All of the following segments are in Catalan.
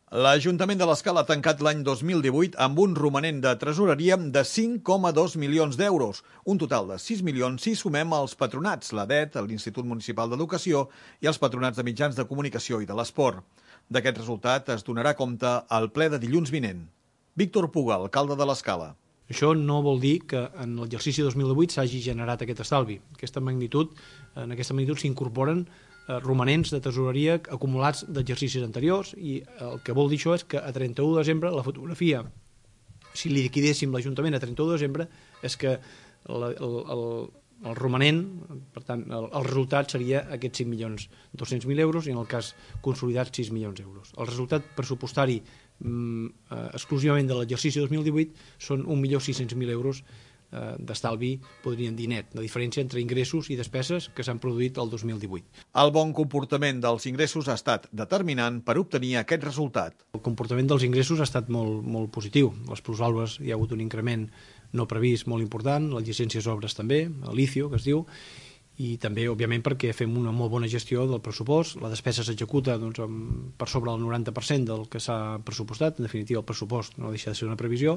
L'Ajuntament de l'Escala ha tancat l'any 2018 amb un romanent de tresoreria de 5,2 milions d'euros, un total de 6 milions si sumem els patronats, l'ADET, l'Institut Municipal d'Educació i els patronats de mitjans de comunicació i de l'esport. D'aquest resultat es donarà compte al ple de dilluns vinent. Víctor Puga, alcalde de l'Escala. Això no vol dir que en l'exercici 2018 s'hagi generat aquest estalvi. En aquesta magnitud s'incorporen romanents de tresoreria acumulats d'exercicis anteriors i el que vol dir això és que a 31 de desembre la fotografia, si li liquidéssim l'Ajuntament a 31 de desembre, és que el romanent, per tant, el resultat seria aquests 5.200.000 euros i en el cas consolidat 6 milions d'euros. El resultat pressupostari exclusivament de l'exercici 2018 són 1.600.000 euros d'estalvi, podríem dir net, de diferència entre ingressos i despeses que s'han produït el 2018. El bon comportament dels ingressos ha estat determinant per obtenir aquest resultat. El comportament dels ingressos ha estat molt positiu. Les plusvàlues hi ha hagut un increment no previst molt important, les llicències d'obres també, l'ICIO, que es diu, i també, òbviament, perquè fem una molt bona gestió del pressupost. La despesa s'executa per sobre del 90% del que s'ha pressupostat. En definitiva, el pressupost no deixa de ser una previsió,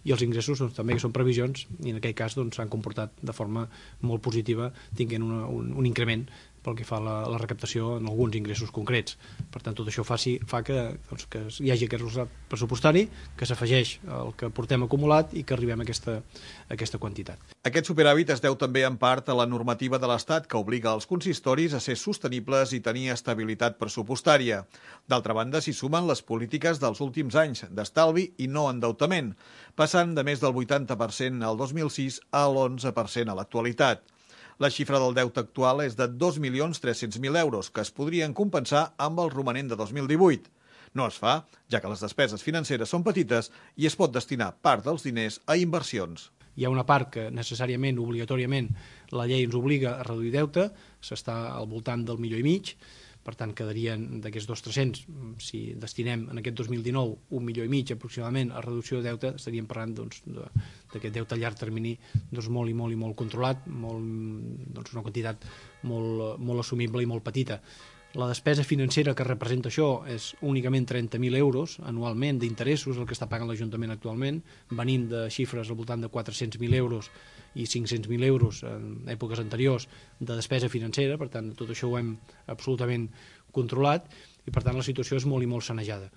i els ingressos també, que són previsions, i en aquell cas s'han comportat de forma molt positiva, tinguent un increment pel que fa a la recaptació en alguns ingressos concrets. Per tant, tot això fa que hi hagi aquest resultat pressupostari, que s'afegeix al que portem acumulat i que arribem a aquesta quantitat. Aquest superàvit es deu també en part a la normativa de l'Estat que obliga els consistoris a ser sostenibles i tenir estabilitat pressupostària. D'altra banda, s'hi sumen les polítiques dels últims anys d'estalvi i no endeutament, passant de més del 80% al 2006 a l'11% a l'actualitat. La xifra del deute actual és de 2.300.000 euros, que es podrien compensar amb el romanent de 2018. No es fa, ja que les despeses financeres són petites i es pot destinar part dels diners a inversions. Hi ha una part que necessàriament, obligatòriament, la llei ens obliga a reduir deute, s'està al voltant del 1,5 milions, per tant quedarien d'aquests 2.300, si destinem en aquest 2019 1,5 milions aproximadament a reducció de deute, estaríem parlant d'aquest deute a llarg termini molt i molt controlat, una quantitat molt assumible i molt petita. La despesa financera que representa això és únicament 30.000 euros anualment d'interessos, el que està pagant l'Ajuntament actualment, venint de xifres al voltant de 400.000 euros i 500.000 euros en èpoques anteriors de despesa financera. Per tant, tot això ho hem absolutament controlat i, per tant, la situació és molt i molt sanejada.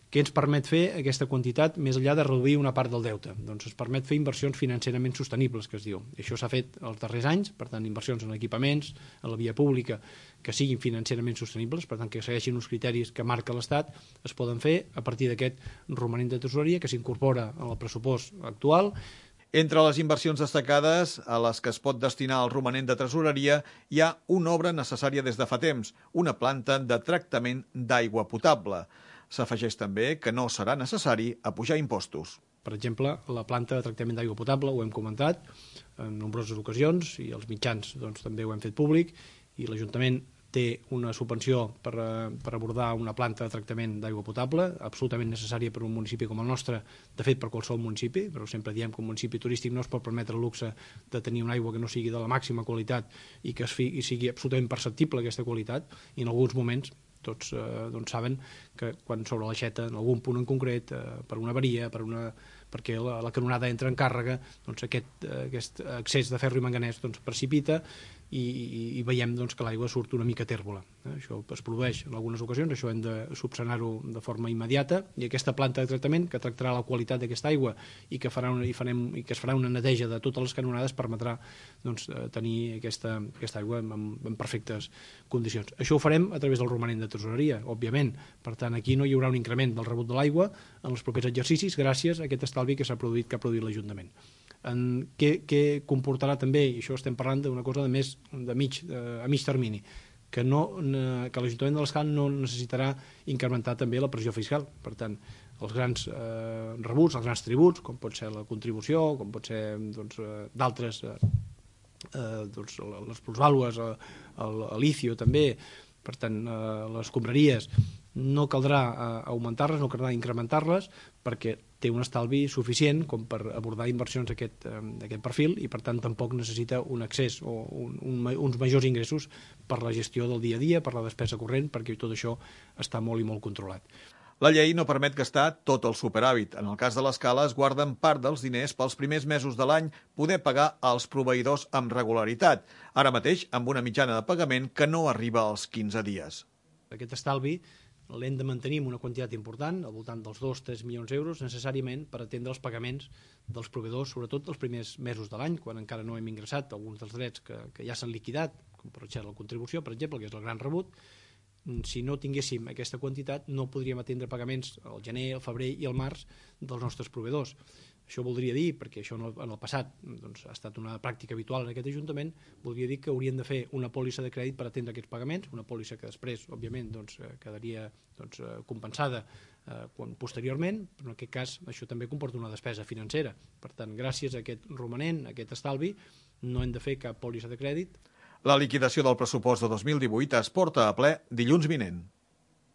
Què ens permet fer aquesta quantitat més enllà de reduir una part del deute? Doncs ens permet fer inversions financerament sostenibles, que es diu. I això s'ha fet els darrers anys, per tant, inversions en equipaments, en la via pública, que siguin financerament sostenibles, per tant, que segueixin uns criteris que marca l'Estat, es poden fer a partir d'aquest romanent de tresoreria que s'incorpora al pressupost actual. Entre les inversions destacades a les que es pot destinar el romanent de tresoreria hi ha una obra necessària des de fa temps, una planta de tractament d'aigua potable. S'afegeix també que no serà necessari apujar impostos. Per exemple, la planta de tractament d'aigua potable, ho hem comentat en nombroses ocasions i els mitjans també ho hem fet públic, i l'Ajuntament té una subvenció per abordar una planta de tractament d'aigua potable, absolutament necessària per un municipi com el nostre, de fet per qualsevol municipi, però sempre diem que un municipi turístic no es pot permetre el luxe de tenir una aigua que no sigui de la màxima qualitat i que sigui absolutament perceptible aquesta qualitat, i en alguns moments tots saben que quan sobre l'aixeta, en algun punt en concret, per una avaria, perquè la canonada entra en càrrega, aquest excés de ferro i manganès precipita i veiem que l'aigua surt una mica tèrbola. Això es produeix en algunes ocasions, això hem de subsanar-ho de forma immediata, i aquesta planta de tractament que tractarà la qualitat d'aquesta aigua i que es farà una neteja de totes les canonades permetrà tenir aquesta aigua en perfectes condicions. Això ho farem a través del romanent de tresoreria, òbviament. Per tant, aquí no hi haurà un increment del rebut de l'aigua en els propers exercicis gràcies a aquest estalvi que ha produït l'Ajuntament. Què comportarà també, i això estem parlant d'una cosa a mig termini, que l'Ajuntament de l'Escala no necessitarà incrementar també la pressió fiscal. Per tant, els grans rebuts, els grans tributs, com pot ser la contribució, com pot ser d'altres, les plusvàlues, l'ICIO també, per tant, les escombraries, no caldrà augmentar-les, no caldrà incrementar-les, perquè té un estalvi suficient com per abordar inversions d'aquest perfil, i per tant tampoc necessita un excés o uns majors ingressos per la gestió del dia a dia, per la despesa corrent, perquè tot això està molt i molt controlat. La llei no permet gastar tot el superàvit. En el cas de l'Escala, es guarden part dels diners pels primers mesos de l'any poder pagar als proveïdors amb regularitat, ara mateix amb una mitjana de pagament que no arriba als 15 dies. Aquest estalvi l'hem de mantenir amb una quantitat important, al voltant dels 2-3 milions d'euros, necessàriament per atendre els pagaments dels proveïdors, sobretot els primers mesos de l'any, quan encara no hem ingressat alguns dels drets que ja s'han liquidat, com per exemple la contribució, per exemple, que és el gran rebut. Si no tinguéssim aquesta quantitat, no podríem atendre pagaments al gener, al febrer i al març dels nostres proveïdors. Això voldria dir, perquè això en el passat doncs, ha estat una pràctica habitual en aquest Ajuntament, voldria dir que haurien de fer una pòlissa de crèdit per atendre aquests pagaments, una pòlissa que després, òbviament, doncs, quedaria compensada posteriorment, però en aquest cas això també comporta una despesa financera. Per tant, gràcies a aquest romanent, a aquest estalvi, no hem de fer cap pòlissa de crèdit. La liquidació del pressupost de 2018 es porta a ple dilluns vinent.